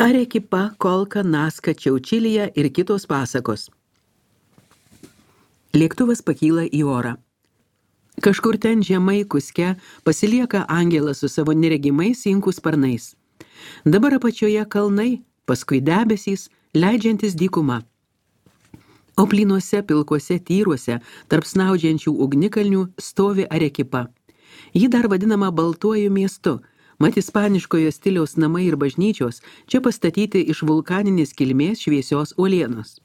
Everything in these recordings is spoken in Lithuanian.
Arekipa, Kolka, Naska, Čiaučilija ir kitos pasakos. Lėktuvas pakyla į orą. Kažkur ten žemai Kuske pasilieka angelas su savo neregimais inkų sparnais. Dabar apačioje kalnai, paskui debesys, leidžiantis dykuma. O plynuose pilkuose tyruose, tarp snaudžiančių ugnikalnių, stovi Arekipa. Ji dar vadinama Baltuoju miestu, mat ispaniškojo stiliaus namai ir bažnyčios čia pastatyti iš vulkaninės kilmės šviesios uolienos.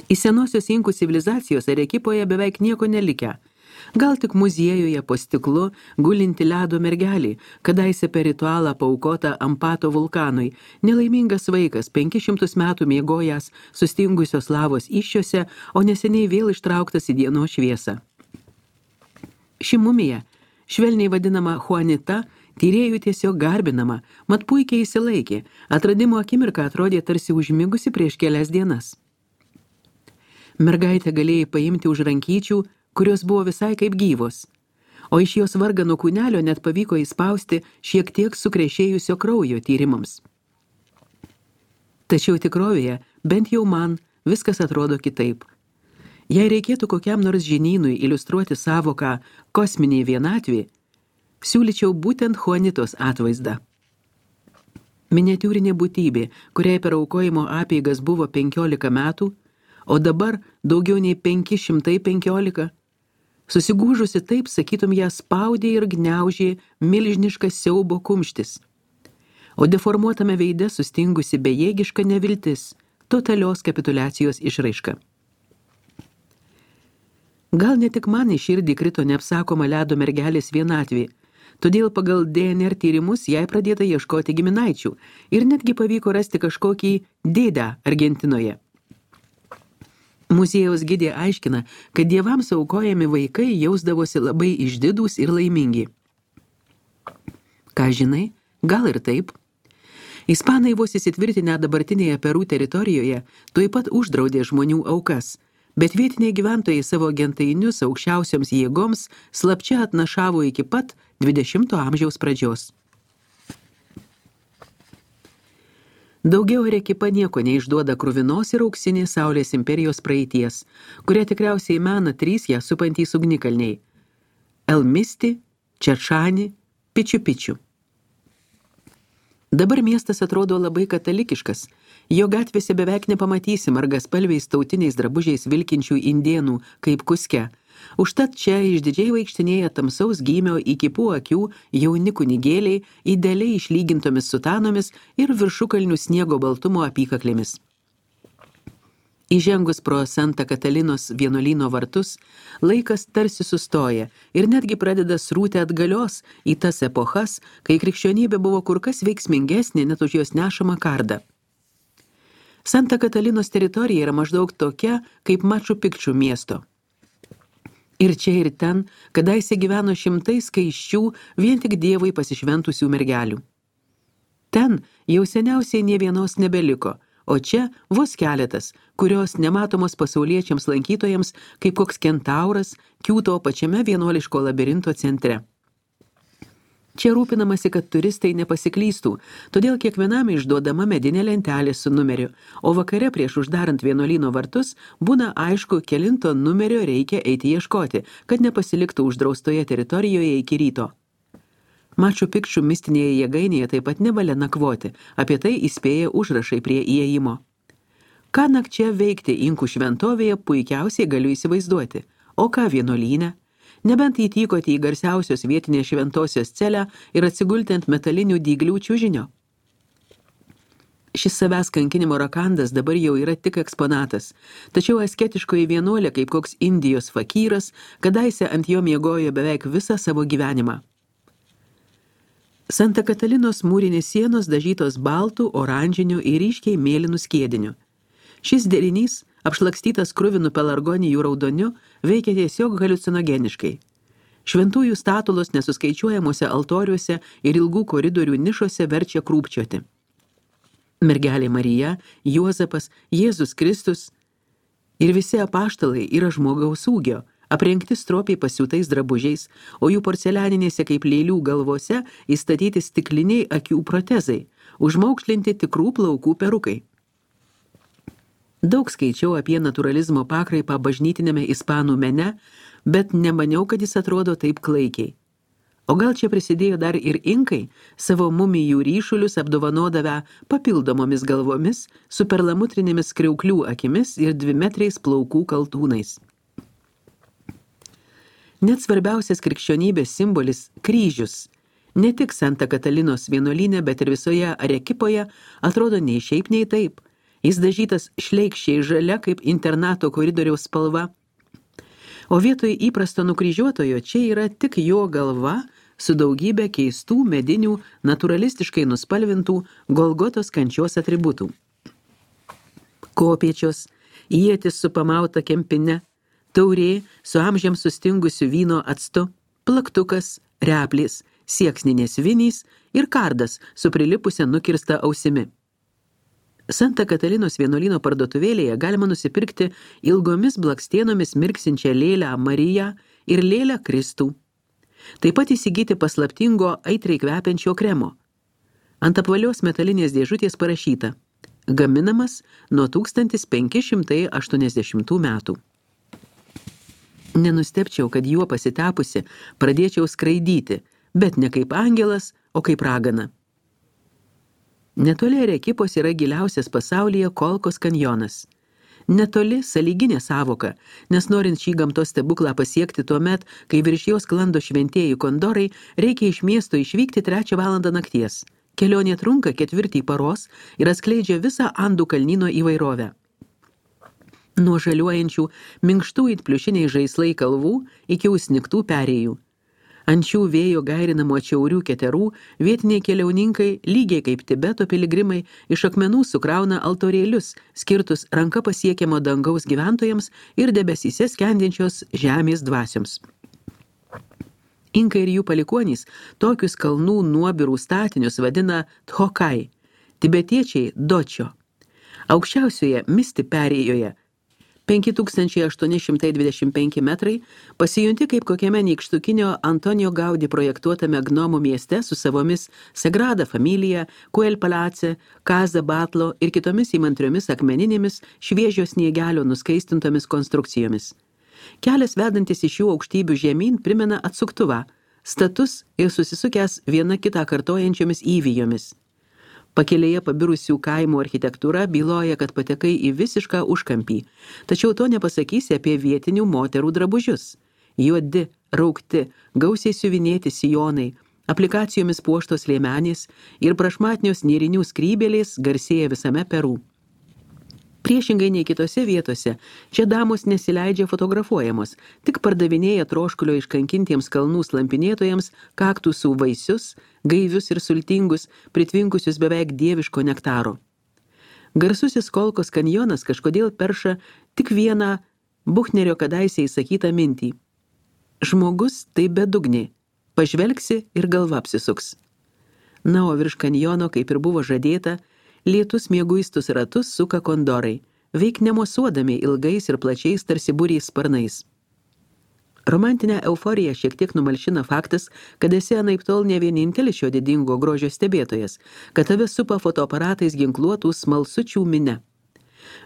Iš senosios inkų civilizacijos Arekipoje beveik nieko nelikę. Gal tik muziejuje po stiklu gulinti ledo mergelį, kadaise per ritualą paaukota Ampato vulkanui, nelaimingas vaikas 500 metų miegojęs sustingusios lavos iššiose, o neseniai vėl ištrauktas į dienos šviesą. Ši mumija, švelniai vadinama Juanita, tyrėjų tiesiog garbinama, mat puikiai įsilaikė, atradimo akimirka atrodė tarsi užmigusi prieš kelias dienas. Mergaitę galėjai paimti už rankyčių, kurios buvo visai kaip gyvos, o iš jos vargano kūnelio net pavyko įspausti šiek tiek sukrešėjusio kraujo tyrimams. Tačiau tikrovėje, bent jau man, viskas atrodo kitaip. Jei reikėtų kokiam nors žinynui iliustruoti savoką kosminė vienatvė, siūlyčiau būtent Juanitos atvaizdą. Miniatiūrinė būtybė, kuriai per aukojimo apeigas buvo 15 metų, o dabar daugiau nei 515, susigūžusi taip, sakytum, ją spaudė ir gniaužė milžiniškas siaubo kumštis, o deformuotame veide sustingusi bejėgiška neviltis, totalios kapituliacijos išraiška. Gal ne tik man į širdį krito neapsakoma ledo mergelės vienatvė, todėl pagal DNR tyrimus jai pradėta ieškoti giminaičių ir netgi pavyko rasti kažkokį dėdę Argentinoje. Muziejaus gidė aiškina, kad dievams aukojami vaikai jausdavosi labai išdidūs ir laimingi. Ką žinai, gal ir taip. Ispanai vos įsitvirtinę dabartinėje Peru teritorijoje tuoj pat uždraudė žmonių aukas, bet vietiniai gyventojai savo gentainius aukščiausioms jėgoms slapčia atnašavo iki pat 20 amžiaus pradžios. Daugiau Arekipa nieko neišduoda kruvinos ir auksinės Saulės imperijos praeities, kurią tikriausiai mena 3 ją supantys ugnikalniai – El Misti, Čerčani, Pičiu Pičiu. Dabar miestas atrodo labai katalikiškas, jo gatvėse beveik nepamatysi margaspalviais tautiniais drabužiais vilkinčių indėnų kaip Kuske. Užtat čia išdidžiai vaikštinėja tamsaus gymio įkipų akių jauni kunigėliai idealiai išlygintomis sutanomis ir viršukalnių sniego baltumo apykaklėmis. Įžengus pro Santa Katalinos vienuolyno vartus, laikas tarsi sustoja ir netgi pradeda srūti atgalios į tas epochas, kai krikščionybė buvo kur kas veiksmingesnė net už jos nešamą kardą. Santa Katalinos teritorija yra maždaug tokia kaip Maču Pikču miesto. Ir čia ir ten, kadaise gyveno šimtai skaisčių, vien tik dievui pasišventusių mergelių. Ten jau seniausiai nė vienos nebeliko, o čia vos keletas, kurios nematomos pasauliečiams lankytojams kaip koks kentauras kiūto pačiame vienuoliško labirinto centre. Čia rūpinamasi, kad turistai nepasiklystų, todėl kiekvienam išduodama medinė lentelė su numeriu, o vakare prieš uždarant vienuolyno vartus būna aišku, kelinto numerio reikia eiti ieškoti, kad nepasiliktų uždraustoje teritorijoje iki ryto. Maču Pikču mistinėje jėgainėje taip pat nevalia nakvoti, apie tai įspėja užrašai prie įėjimo. Ką nakčia veikti inkų šventovėje puikiausiai galiu įsivaizduoti, o ką vienuolyne? Nebent įtykoti į garsiausios vietinės šventosios celę ir atsigulti ant metalinių dyglių čiužinio. Šis savęs kankinimo rakandas dabar jau yra tik eksponatas, tačiau asketiškoji vienuolė kaip koks Indijos fakyras, kadaise ant jo miegojo beveik visą savo gyvenimą. Santa Katalinos mūrinės sienos dažytos baltų, oranžinių ir ryškiai mėlynų skiedinių. Šis derinys, apšlakstytas kruvinu pelargonijų raudoniu, veikia tiesiog haliucinogeniškai. Šventųjų statulos nesuskaičiuojamuose altoriuose ir ilgų koridorių nišose verčia krūpčioti. Mergelė Marija, Juozapas, Jėzus Kristus ir visi apaštalai yra žmogaus ūgio, aprengti stropiai pasiūtais drabužiais, o jų porcelianinėse kaip lėlių galvose įstatyti stikliniai akių protezai, užmaukšlinti tikrų plaukų perukai. Daug skaičiau apie naturalizmo pakraipą bažnytinėme ispanų mene, bet nemaniau, kad jis atrodo taip klaikiai. O gal čia prisidėjo dar ir inkai, savo mumijų ryšulius apdovanodavę papildomomis galvomis, su perlamutrinėmis kriauklių akimis ir 2-metriais plaukų kaltūnais. Net svarbiausias krikščionybės simbolis – kryžius, ne tik Santa Katalinos vienuolyne, bet ir visoje Arequipoje atrodo nei šiaip, nei taip. Jis dažytas šleikščiai žalia kaip internato koridoriaus spalva, o vietoj įprasto nukryžiuotojo čia yra tik jo galva su daugybė keistų medinių, naturalistiškai nuspalvintų Golgotos kančios atributų. Kopėčios, ietis su pamauta kempine, taurė su amžiams sustingusiu vyno actu, plaktukas, replės, sieksninės vinys ir kardas su prilipusia nukirsta ausimi. Santa Katalinos vienuolyno parduotuvėlėje galima nusipirkti ilgomis blakstienomis mirksinčią lėlę Mariją ir lėlę Kristų. Taip pat įsigyti paslaptingo aitriai kvepiančio kremo. Ant apvalios metalinės dėžutės parašyta: gaminamas nuo 1580 metų. Nenustebčiau, kad juo pasitepusi pradėčiau skraidyti, bet ne kaip angelas, o kaip ragana. Netoli Arequipos yra giliausias pasaulyje Kolkos kanjonas. Netoli sąlyginė sąvoka, nes norint šį gamtos stebuklą pasiekti tuomet, kai virš jos sklando šventieji kondorai, reikia iš miesto išvykti 3 valandą nakties. Kelionė trunka 4 paros ir atskleidžia visą Andų kalnyno įvairovę. Nuo žaliuojančių minkštų it pliušiniai žaislai kalvų iki užsnigtų perėjų. Ant šių vėjo gairinamo atšiaurių keterų vietiniai keliauninkai, lygiai kaip Tibeto piligrimai, iš akmenų sukrauna altorėlius, skirtus ranka pasiekiamo dangaus gyventojams ir debesyse skendinčios žemės dvasioms. Inkai ir jų palikuonys tokius kalnų nuobirų statinius vadina Thokai, tibetiečiai Dočio. Aukščiausioje Misti perėjoje 5825 metrai, pasijunti kaip kokiame nykštukinio Antonijo Gaudi projektuotame Gnomų mieste su savomis Sagrada Familia, Kuel Palace, Casa Batlo ir kitomis įmantriomis akmeninėmis šviežio sniegelio nuskaistintomis konstrukcijomis. Kelias vedantis iš šių aukštybių žemyn primena atsuktuvą, status ir susisukęs viena kitą kartojančiomis įvijomis. Pakelėje pabirusių kaimų architektūra byloja, kad patekai į visišką užkampį, tačiau to nepasakysi apie vietinių moterų drabužius. Juodi, raukti, gausiai siuvinėti sijonai, aplikacijomis puoštos liemenės ir prašmatnios nėrinių skrybėlės garsėja visame Peru. Priešingai nei kitose vietose, čia damos nesileidžia fotografuojamos, tik pardavinėja troškulio iškankintiems kalnų slampinėtojams kaktusų vaisius, gaivius ir sultingus, pritvinkusius beveik dieviško nektaro. Garsusis Kolkos kanjonas kažkodėl perša tik vieną Buchnerio kadaise įsakytą mintį. Žmogus tai bedugnė, pažvelgsi ir galva apsisuks. Na, o virš kanjono, kaip ir buvo žadėta, lietus mieguistus ratus suka kondorai, veik nemosuodami ilgais ir plačiais tarsi būriais sparnais. Romantinę euforiją šiek tiek numalšina faktas, kad esi anaiptol ne vienintelis šio didingo grožio stebėtojas, kad tave supa fotoaparatais ginkluotų smalsučių mine.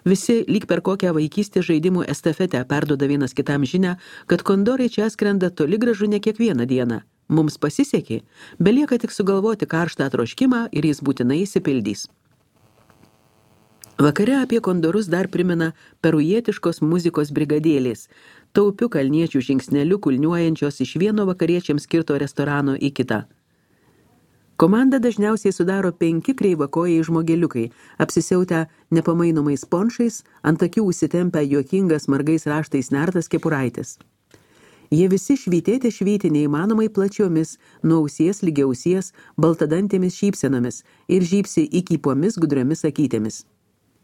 Visi lyg per kokią vaikystės žaidimų estafetę perduoda vienas kitam žinią, kad kondorai čia skrenda toli gražu ne kiekvieną dieną. Mums pasisekė, belieka tik sugalvoti karštą troškimą ir jis būtinai išsipildys. Vakare apie kondorus dar primena perujietiškos muzikos brigadėlės, taupių kalniečių žingsnelių kulniuojančios iš vieno vakariečiams skirto restorano į kitą. Komandą dažniausiai sudaro 5 kreivakojai žmogeliukai, apsisiautę nepamainomais ponšais, ant akių užsitempę juokingas margais raštais nertas kepuraitis. Jie visi švyti neįmanomai plačiomis, nuo ausies lygia ausies, baltadantėmis šypsenomis ir žypsi įkypomis gudriomis akytėmis.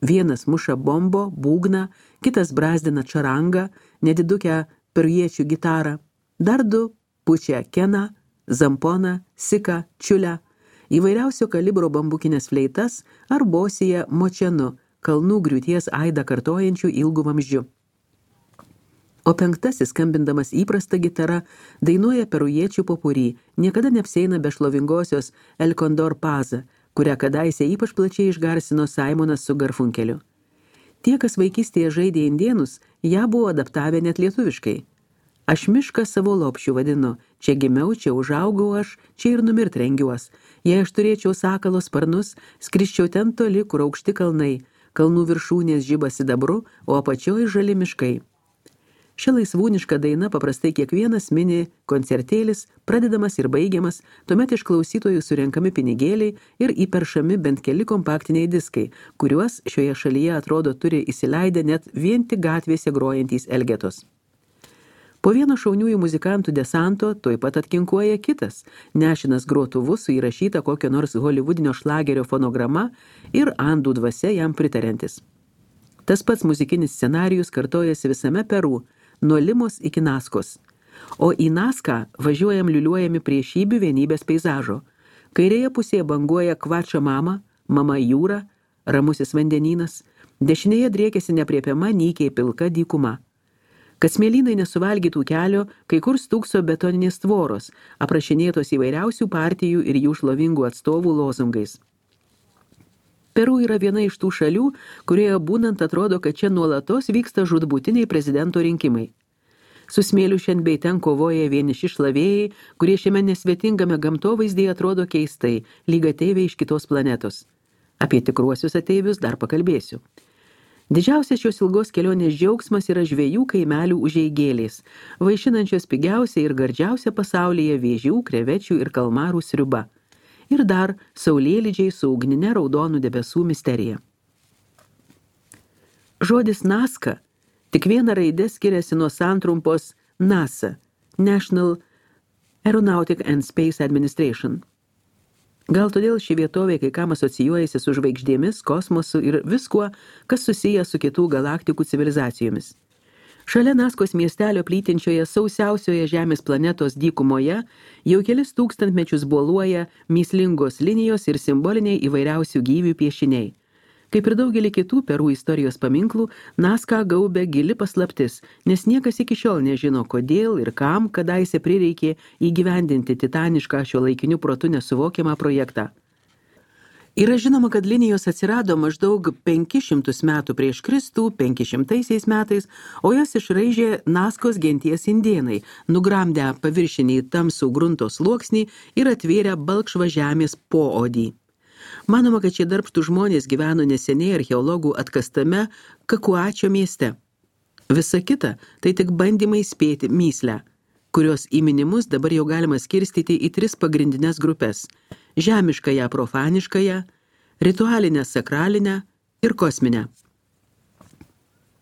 Vienas muša bombo, būgną, kitas brazdina čarangą, nedidukę perujiečių gitarą, dar 2 pučia keną, zamponą, siką, čiulę, įvairiausio kalibro bambukinės fleitas ar bosiją močenu, kalnų griūties aidą kartojančių ilgų vamzdžių. O 5, skambindamas įprastą gitarą, dainuoja perujiečių popurį, niekada neapsieina be šlovingosios El Condor Paza, kurią kadaise ypač plačiai išgarsino Simonas su Garfunkeliu. Tie, kas vaikystėje žaidė indėnus, ją buvo adaptavę net lietuviškai. Aš mišką savo lopšiu vadinu, čia gimiau, čia užaugau aš, čia ir numirt rengiuos. Jei aš turėčiau sakalo sparnus, skrisčiau ten toli, kur aukšti kalnai, kalnų viršūnės žiba sidabru, o apačioj žali miškai. Šia laisvūniška daina paprastai kiekvienas mini koncertėlis, pradedamas ir baigiamas, tuomet iš klausytojų surenkami pinigėliai ir įperšami bent keli kompaktiniai diskai, kuriuos šioje šalyje atrodo turi įsileidę net vien tik gatvėse grojantys elgetos. Po vieno šauniųjų muzikantų desanto tuoj pat atkinkuoja kitas, nešinas grotuvu su įrašyta kokio nors holivudinio šlagerio fonograma ir andų dvasia jam pritariantis. Tas pats muzikinis scenarijus kartojasi visame Peru, nuo Limos iki Naskos. O į Naską važiuojam liuliuojami prie Šybių vienybės peizažo. Kairėje pusėje banguoja Kvača mama, mama jūra, ramusis vandenynas, dešinėje driekiasi nepriepiama nykiai pilka dykuma. Kad smėlynai nesuvalgytų kelio, kai kur stūkso betoninės tvoros, aprašinėtos įvairiausių partijų ir jų šlovingų atstovų lozungais. Peru yra viena iš tų šalių, kurioje būnant atrodo, kad čia nuolatos vyksta žūtbūtiniai prezidento rinkimai. Su smėliu šiandien bei ten kovoja vieniši šlavėjai, kurie šiame nesvetingame gamtovaizdyje atrodo keistai, lyg ateiviai iš kitos planetos. Apie tikruosius ateivius dar pakalbėsiu. Didžiausias šios ilgos kelionės džiaugsmas yra žvejų kaimelių užeigėlės, vaišinančios pigiausia ir gardžiausia pasaulyje vėžių, krevečių ir kalmarų sriuba. Ir dar saulėlydžiai su ugnine raudonų debesų misterija. Žodis Naska tik viena raidė skiriasi nuo santrumpos NASA, National Aeronautic and Space Administration. Gal todėl ši vietovė kai kam asocijuojasi su žvaigždėmis, kosmosu ir viskuo, kas susiję su kitų galaktikų civilizacijomis. Šalia Naskos miestelio plytinčioje sausiausioje Žemės planetos dykumoje jau kelis tūkstantmečius boluoja mįslingos linijos ir simboliniai įvairiausių gyvių piešiniai. Kaip ir daugelį kitų Peru istorijos paminklų, Naską gaubia gili paslaptis, nes niekas iki šiol nežino, kodėl ir kam kadaise prireikė įgyvendinti titanišką šiuolaikiniu protu nesuvokiamą projektą. Yra žinoma, kad linijos atsirado maždaug 500 metų prieš Kristų, 500 metais, o jas išraižė Naskos genties indėnai, nugramdę paviršinį tamsų grunto sluoksnį ir atvėrę balkšvą žemės poodį. Manoma, kad šie darbštų žmonės gyveno neseniai archeologų atkastame Kakuačio mieste. Visa kita tai tik bandymai spėti mįslę, kurios įminimus dabar jau galima skirstyti į 3 pagrindinės grupės – žemiškąją profaniškąją, ritualinę sakralinę ir kosminę.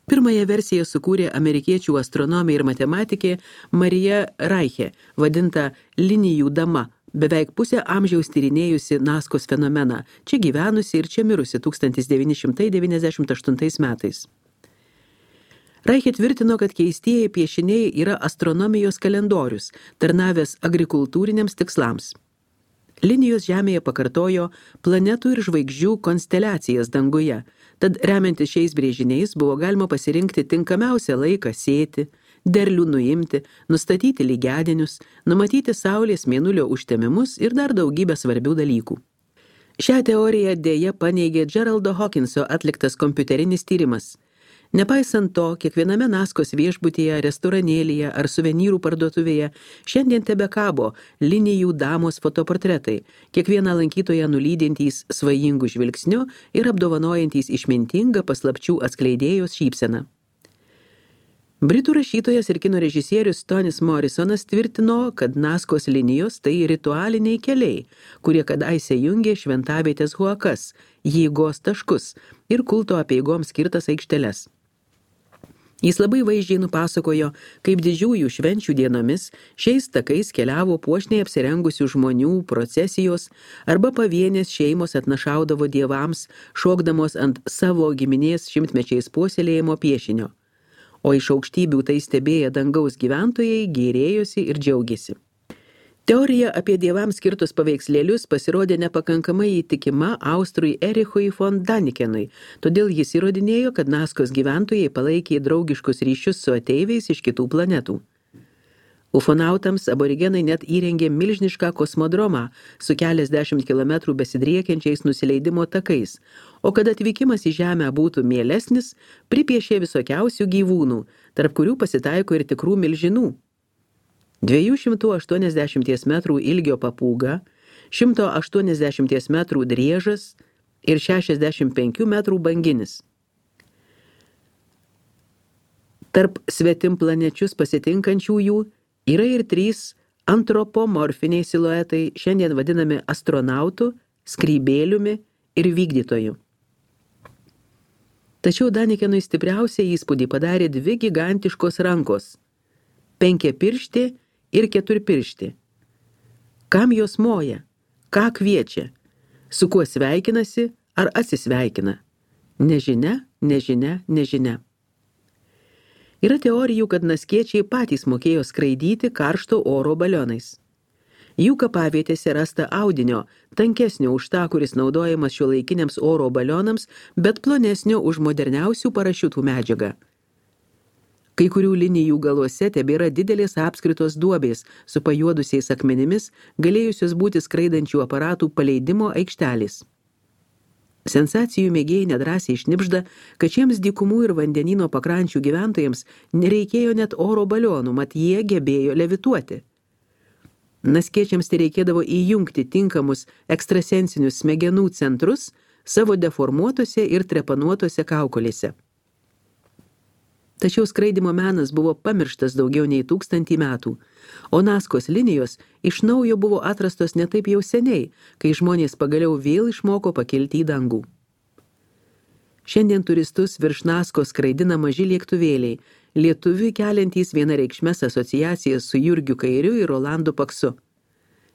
Pirmąją versiją sukūrė amerikiečių astronomė ir matematikė Marija Reiche, vadinta linijų dama, beveik pusę amžiaus tyrinėjusi Naskos fenomeną, čia gyvenusi ir čia mirusi 1998 metais. Reiche tvirtino, kad keistieji piešiniai yra astronomijos kalendorius, tarnavęs agrikultūriniams tikslams. Linijos Žemėje pakartojo planetų ir žvaigždžių konsteliacijas danguje, tad remiantis šiais brėžiniais buvo galima pasirinkti tinkamiausią laiką sėti, derlių nuimti, nustatyti lygiadienius, numatyti Saulės mėnulio užtemimus ir dar daugybę svarbių dalykų. Šią teoriją dėja paneigė Geraldo Hawkinso atliktas kompiuterinis tyrimas. Nepaisant to, kiekviename Naskos viešbutyje, restoranėlyje ar suvenyrų parduotuvėje šiandien tebekabo linijų damos fotoportretai, kiekvieną lankytoją nulydintys svajingų žvilgsniu ir apdovanojantys išmintingą paslapčių atskleidėjos šypseną. Britų rašytojas ir kino režisierius Tonis Morrisonas tvirtino, kad Naskos linijos tai ritualiniai keliai, kurie kadaise jungė šventavietės huakas, jėgos taškus ir kulto apeigoms skirtas aikšteles. Jis labai vaizdžiai nupasakojo, kaip didžiųjų švenčių dienomis šiais takais keliavo puošniai apsirengusių žmonių procesijos arba pavienės šeimos atnašaudavo dievams, šokdamos ant savo giminės šimtmečiais puoselėjimo piešinio. O iš aukštybių tai stebėję dangaus gyventojai gėrėjosi ir džiaugiasi. Teorija apie dievams skirtus paveikslėlius pasirodė nepakankamai įtikima austrui Erichui von Danikenui, todėl jis įrodinėjo, kad Naskos gyventojai palaikė draugiškus ryšius su ateiviais iš kitų planetų. Ufonautams aborigenai net įrengė milžinišką kosmodromą su keliasdešimt kilometrų besidriekiančiais nusileidimo takais, o kad atvykimas į Žemę būtų mielesnis, pripiešė visokiausių gyvūnų, tarp kurių pasitaiko ir tikrų milžinų. 280 metrų ilgio papūga, 180 metrų driežas ir 65 metrų banginis. Tarp svetimplanečius pasitinkančiųjų yra ir 3 antropomorfiniai siluetai, šiandien vadinami astronautu, skrybėliumi ir vykdytoju. Tačiau Danikenui stipriausią įspūdį padarė 2 gigantiškos rankos – 5-pirštė ir 4-pirštė. Kam jos moja? Ką kviečia? Su kuo sveikinasi ar atsisveikina? Nežinia, nežinia, nežinia. Yra teorijų, kad naskiečiai patys mokėjo skraidyti karšto oro balionais. Jų kapavietėse rasta audinio, tankesnio už tą, kuris naudojamas šiuolaikiniams oro balionams, bet plonesnio už moderniausių parašiutų medžiagą. Kai kurių linijų galuose tebėra didelės apskritos duobės su pajuodusiais akmenimis, galėjusios būti skraidančių aparatų paleidimo aikštelės. Sensacijų mėgėjai nedrąsiai šnibžda, kad šiems dykumų ir vandenyno pakrančių gyventojams nereikėjo net oro balionų, mat jie gebėjo levituoti. Naskiečiams tai reikėdavo įjungti tinkamus ekstrasensinius smegenų centrus savo deformuotose ir trepanuotose kaukolėse. Tačiau skraidymo menas buvo pamirštas daugiau nei 1000 metų, o Naskos linijos iš naujo buvo atrastos ne taip jau seniai, kai žmonės pagaliau vėl išmoko pakilti į dangų. Šiandien turistus virš Naskos skraidina maži lėktuvėliai, lietuviui keliantys vienareikšmes asociacijas su Jurgiu Kairiu ir Rolandu Paksu.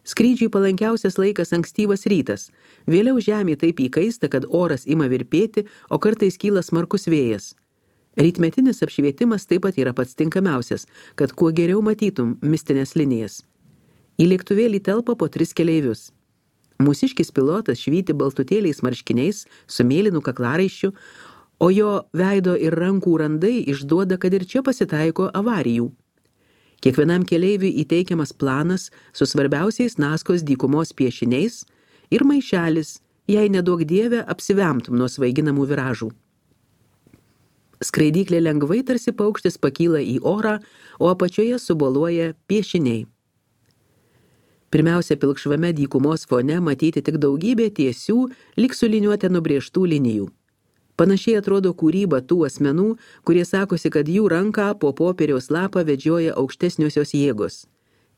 Skrydžiui palankiausias laikas ankstyvas rytas, vėliau žemė taip įkaista, kad oras ima virpėti, o kartais kyla smarkus vėjas. Rytmetinis apšvietimas taip pat yra pats tinkamiausias, kad kuo geriau matytum mistinės linijas. Į lėktuvėlį telpa po 3 keleivius. Mūsiškis pilotas švyti baltutėliais marškiniais su mėlynu kaklaraiščiu, o jo veido ir rankų randai išduoda, kad ir čia pasitaiko avarijų. Kiekvienam keleiviui įteikiamas planas su svarbiausiais Naskos dykumos piešiniais ir maišelis, jei neduok dieve apsivemtum nuo svaiginamų viražų. Skraidyklė lengvai tarsi paukštis pakyla į orą, o apačioje suboluoja piešiniai. Pirmiausia, pilkšvame dykumos fone matyti tik daugybė tiesių, lyg su liniuote nubrėžtų linijų. Panašiai atrodo kūryba tų asmenų, kurie sakosi, kad jų ranką po popieriaus lapą vedžioja aukštesniosios jėgos.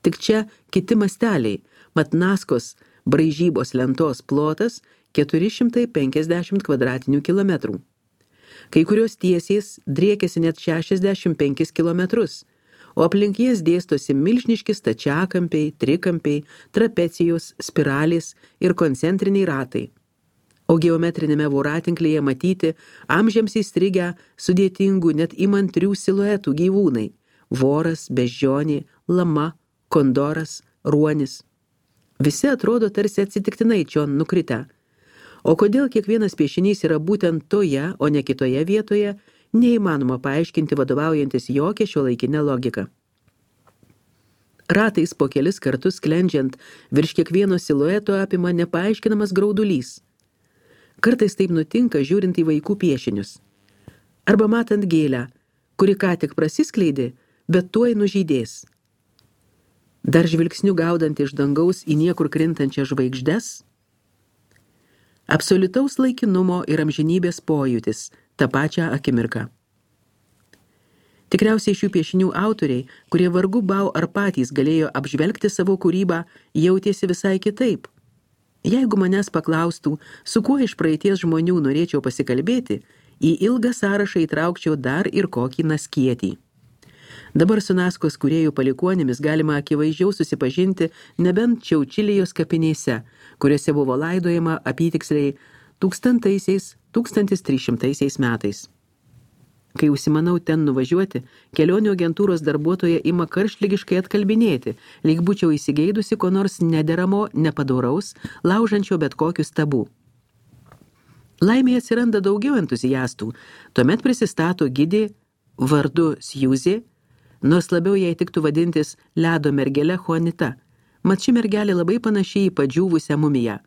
Tik čia kiti masteliai, mat Naskos braižybos lentos plotas 450 kvadratinių kilometrų. Kai kurios tiesiais driekiasi net 65 kilometrus, o aplink jas dėstosi milžiniški stačiakampiai, trikampiai, trapecijos, spiralės ir koncentriniai ratai. O geometrinėme voratinklyje matyti amžiams įstrigę sudėtingų net įmantrių siluetų gyvūnai – voras, beždžionė, lama, kondoras, ruonis. Visi atrodo tarsi atsitiktinai čion nukritę. O kodėl kiekvienas piešinys yra būtent toje, o ne kitoje vietoje, neįmanoma paaiškinti vadovaujantis jokia šiuolaikinė logika. Ratais po kelis kartus sklendžiant virš kiekvieno silueto apima nepaaiškinamas graudulys. Kartais taip nutinka žiūrint į vaikų piešinius. Arba matant gėlę, kuri ką tik prasiskleidė, bet tuoj nužydės. Dar žvilgsniu gaudant iš dangaus į niekur krintančias žvaigždes, absoliutaus laikinumo ir amžinybės pojūtis tą pačią akimirką. Tikriausiai šių piešinių autoriai, kurie vargu bau ar patys galėjo apžvelgti savo kūrybą, jautėsi visai kitaip. Jeigu manęs paklaustų, su kuo iš praeities žmonių norėčiau pasikalbėti, į ilgą sąrašą įtraukčiau dar ir kokį naskietį. Dabar su Naskos kūrėjų palikuonimis galima akivaizdžiau susipažinti nebent Čiaučilijos kapinėse, kuriuose buvo laidojama apytiksliai 1300 metais. Kai užsimanau ten nuvažiuoti, kelionių agentūros darbuotoja ima karštligiškai atkalbinėti, lyg būčiau įsigeidusi ko nors nederamo, nepadoraus, laužančio bet kokius tabų. Laimėje atsiranda daugiau entuziastų, tuomet prisistato gidė vardu Sjuzė, nors labiau jai tiktų vadintis ledo mergele Juanita, mat ši mergelė labai panašiai į padžiūvusią mumiją.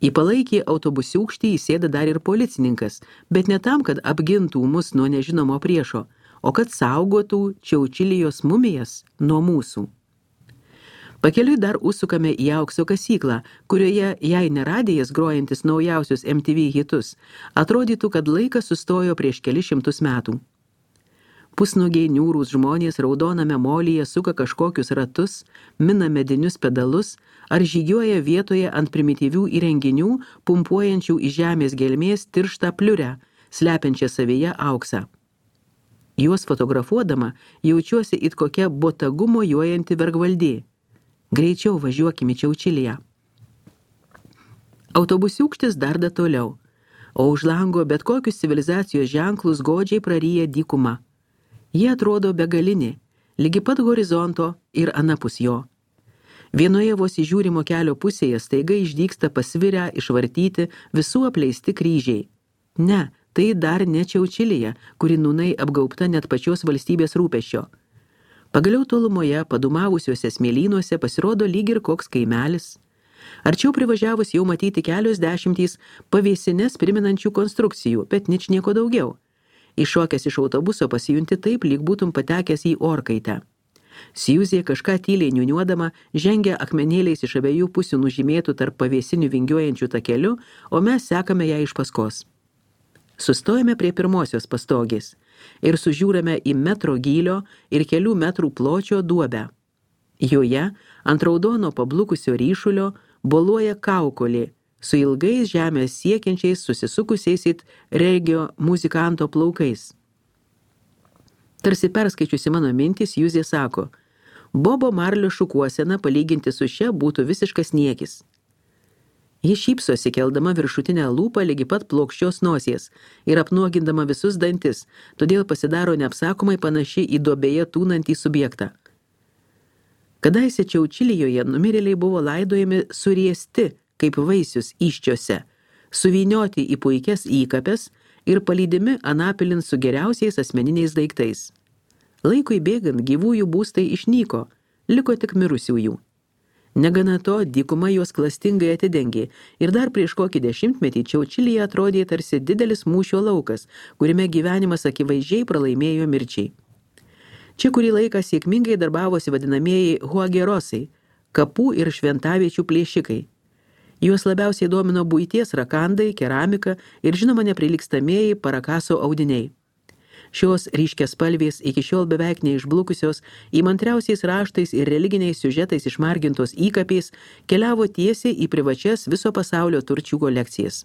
Į palaikį autobusiūkštį įsėda dar ir policininkas, bet ne tam, kad apgintų mus nuo nežinomo priešo, o kad saugotų Čiaučilijos mumijas nuo mūsų. Pakeliui dar užsukame į aukso kasyklą, kurioje, jei neradėjas grojantis naujausius MTV hitus, atrodytų, kad laikas sustojo prieš kelis šimtus metų. Pusnugiai niūrūs žmonės raudoname molyje suka kažkokius ratus, mina medinius pedalus ar žygiuoja vietoje ant primityvių įrenginių, pumpuojančių į žemės gelmės tirštą pliurę, slepiančią savyje auksą. Juos fotografuodama jaučiuosi it kokia botagu mojuojanti vergvaldė. Greičiau važiuokime į Čiaučiliją. Autobusiūkštis darda toliau, o už lango bet kokius civilizacijos ženklus godžiai praryja dykuma. Jie atrodo begalinė, lygi pat horizonto ir anapus jo. Vienoje vos įžiūrimo kelio pusėje staiga išdygsta pasvirę, išvartyti visų apleisti kryžiai. Ne, tai dar ne Čiaučilija, kuri nūnai apgaubta net pačios valstybės rūpesčio. Pagaliau tolumoje, padumavusiuose smėlynuose pasirodo lyg ir koks kaimelis. Arčiau privažiavus jau matyti kelios dešimtys pavėsines priminančių konstrukcijų, bet ničnieko daugiau. Iššokęs iš autobuso pasijunti taip, lyg būtum patekęs į orkaitę. Siuzė kažką tyliai niuniuodama žengia akmenėliais iš abiejų pusių nužymėtų tarp pavėsinių vingiuojančių takelių, o mes sekame ją iš paskos. Sustojame prie pirmosios pastogės ir sužiūrame į metro gylio ir kelių metrų pločio duobę. Joje ant raudono pablukusio ryšulio boluoja kaukolė su ilgais žemės siekiančiais susisukusiais it regio muzikanto plaukais. Tarsi perskaičiusi mano mintis, Juzė sako, Bobo Marlio šukuosena palyginti su šia būtų visiškas niekis. Ji šypsosi, keldama viršutinę lūpą lygi pat plokščios nosies ir apnuogindama visus dantis, todėl pasidaro neapsakomai panaši į duobėje tūnantį subjektą. Kadaise Čiaučilijoje numirėliai buvo laidojami suriesti, kaip vaisius iščiose, suvynioti į puikias įkapes ir palydimi anapilin su geriausiais asmeniniais daiktais. Laikui bėgant gyvųjų būstai išnyko, liko tik mirusiųjų. Negana to, dykuma juos klastingai atidengė ir dar prieš kokį dešimtmetį Čiaučilija atrodė tarsi didelis mūšio laukas, kuriame gyvenimas akivaizdžiai pralaimėjo mirčiai. Čia kurį laiką sėkmingai darbavosi vadinamieji huagerosai, kapų ir šventaviečių plėšikai. Juos labiausiai domino buities rakandai, keramika ir žinoma neprilygstamieji parakaso audiniai. Šios ryškiaspalvės iki šiol beveik neišblukusios, įmantriausiais raštais ir religiniais siužetais išmargintos įkapės keliavo tiesiai į privačias viso pasaulio turčių kolekcijas.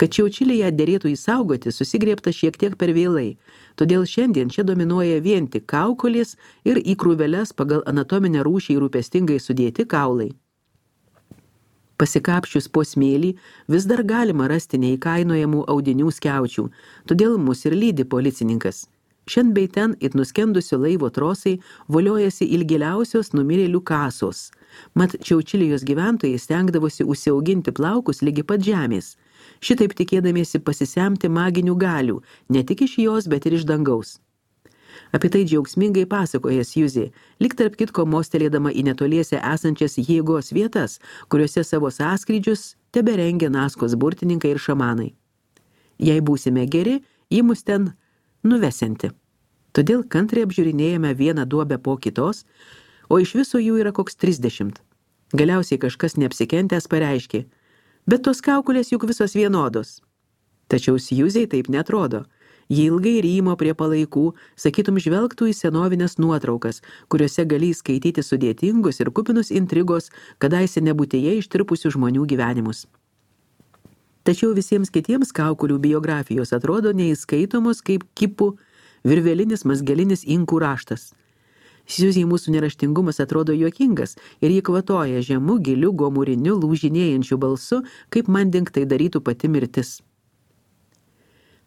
Kad Čiaučiliją derėtų įsaugoti, susigriebta šiek tiek per vėlai, todėl šiandien čia dominuoja vien tik kaukolės ir į krūveles pagal anatominę rūšį rūpestingai sudėti kaulai. Pasikapščius po smėlį vis dar galima rasti neįkainojamų audinių skiaučių, todėl mus ir lydi policininkas. Šiandien bei ten it nuskendusio laivo trosai voliojasi ilgiliausios numirėlių kasos. Mat Čiaučilijos gyventojai stengdavosi užsiauginti plaukus lygi pat žemės, šitaip tikėdamiesi pasisemti maginių galių, ne tik iš jos, bet ir iš dangaus. Apie tai džiaugsmingai pasakoja Juzė, lyg tarp kitko mostelėdama į netoliese esančias jėgos vietas, kuriuose savo sąskrydžius teberengia Naskos burtininkai ir šamanai. Jei būsime geri, ji mus ten nuvesianti. Todėl kantriai apžiūrinėjame vieną duobę po kitos, o iš viso jų yra koks 30. Galiausiai kažkas neapsikentęs pareiškė, bet tos kaukolės juk visos vienodos. Tačiau Juzei taip netrodo. Ji ilgai rymo prie palaikų, sakytum žvelgtų į senovinės nuotraukas, kuriuose gali skaityti sudėtingus ir kupinus intrigos, kadaise nebūtyje ištirpusių žmonių gyvenimus. Tačiau visiems kitiems kaukolių biografijos atrodo neįskaitomos kaip kipų virvelinis mazgelinis inkų raštas. Juzei mūsų neraštingumas atrodo juokingas ir ji kvatoja žemu, giliu, gomuriniu, lūžinėjančiu balsu, kaip mandink tai darytų pati mirtis.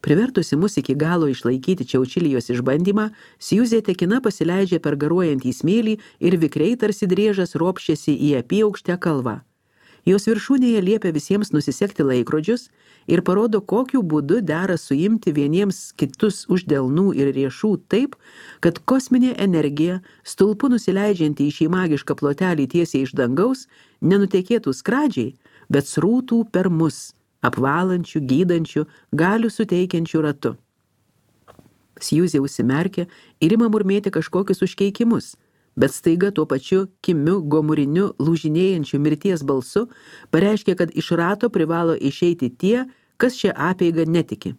Privertusi mus iki galo išlaikyti Čiaučilijos išbandymą, Juzė tekina pasileidžia per garuojantį smėlį ir vikriai tarsi driežas ropščiasi į apyaukštę kalvą. Jos viršūnėje liepia visiems nusisekti laikrodžius ir parodo, kokiu būdu dera suimti vieniems kitus už delnų ir riešų taip, kad kosminė energija, stulpu nusileidžianti į šį magišką plotelį tiesiai iš dangaus, nenutekėtų skradžiai, bet srūtų per mus, apvalančių, gydančių, galių suteikiančių ratu. Sjuzė užsimerkė ir ima murmėti kažkokius užkeikimus, bet staiga tuo pačiu kimiu, gomuriniu, lūžinėjančiu mirties balsu pareiškė, kad iš rato privalo išeiti tie, kas šią apeigą netiki.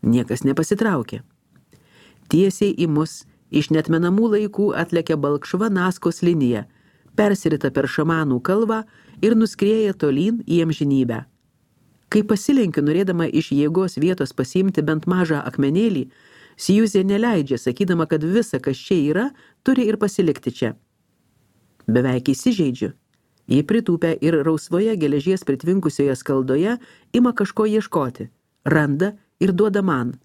Niekas nepasitraukė. Tiesiai į mus iš netmenamų laikų atlekia balkšva Naskos linija, persirita per šamanų kalvą ir nuskrieja tolyn į amžinybę. Kai pasilenkiu, norėdama iš jėgos vietos pasiimti bent mažą akmenėlį, Sjuzė neleidžia, sakydama, kad visa, kas čia yra, turi ir pasilikti čia. Beveik įsižeidžiu. Ji pritūpia ir rausvoje geležies pritvinkusioje skaldoje ima kažko ieškoti, randa ir duoda man.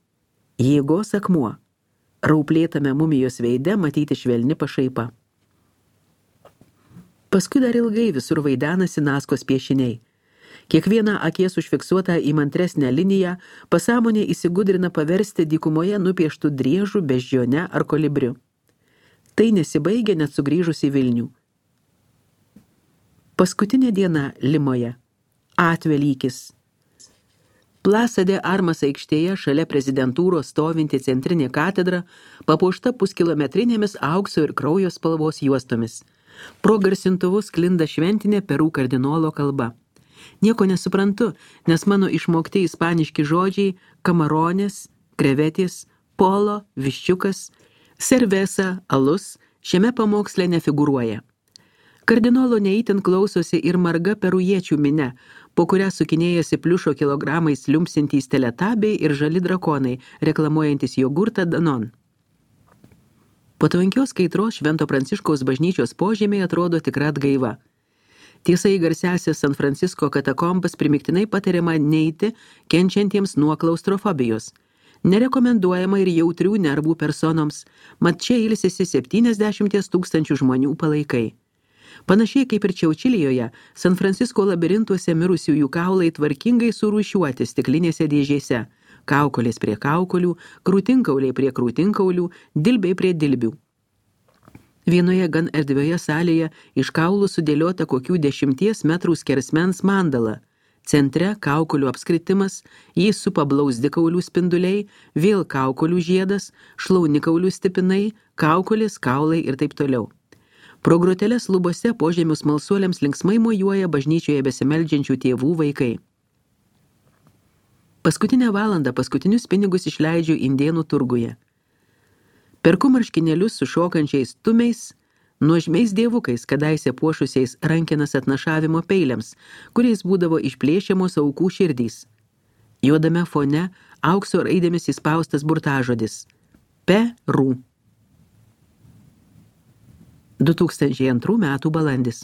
Jėgos akmuo. Rauplėtame mumijos veide matyti švelni pašaipa. Paskui dar ilgai visur vaidenasi Naskos piešiniai. Kiekvieną akies užfiksuotą įmantresnę liniją pasąmonė įsigudrina paversti dykumoje nupieštų driežų, beždžione ar kolibriu. Tai nesibaigia net sugrįžus į Vilnių. Paskutinė diena Limoje. Atvelykis. Plaza de Armas aikštėje šalia prezidentūros stovinti centrinė katedra papuošta puskilometrinėmis aukso ir kraujo spalvos juostomis. Pro garsintuvus sklinda šventinė Perų kardinolo kalba. Nieko nesuprantu, nes mano išmokti ispaniški žodžiai kamaronės, krevetės, polo, viščiukas, cerveza, alus šiame pamoksle nefigūruoja. Kardinolo neįtin klausosi ir marga perujiečių minia, po kurią sukinėjasi pliušo kilogramais liumpsintys teletabiai ir žali drakonai, reklamuojantis jogurtą Danon. Po tvankios kaitros Švento Pranciškaus bažnyčios požemiai atrodo tikra atgaiva. Tiesa, į garsiąsias San Francisko katakombas primiktinai patariama neiti kenčiantiems nuo klaustrofobijos. Nerekomenduojama ir jautrių nervų personoms, mat čia ilsisi 70 000 žmonių palaikai. Panašiai kaip ir Čiaučilijoje, San Francisko labirintuose mirusiųjų kaulai tvarkingai surūšiuoti stiklinėse dėžėse, kaukolės prie kaukolių, krūtinkauliai prie krūtinkaulių, dilbiai prie dilbių. Vienoje gan erdvioje salėje iš kaulų sudėliota kokių 10 metrų skersmens mandala. Centre kaukolių apskritimas, jį supa blauzdikaulių spinduliai, vėl kaukolių žiedas, šlaunikaulių stipinai, kaukolės, kaulai ir taip toliau. Pro groteles lubose požemių smalsuoliams linksmai mojuoja bažnyčioje besimeldžiančių tėvų vaikai. Paskutinę valandą paskutinius pinigus išleidžiu indėnų turguje. Perku marškinėlius su šokančiais tumiais, nuožmiais dievukais, kadaise puošusiais rankenas atnašavimo peiliams, kuriais būdavo išplėšiamos aukų širdys. Juodame fone aukso raidėmis įspaustas burtažodis – Peru. 2002 metų balandis.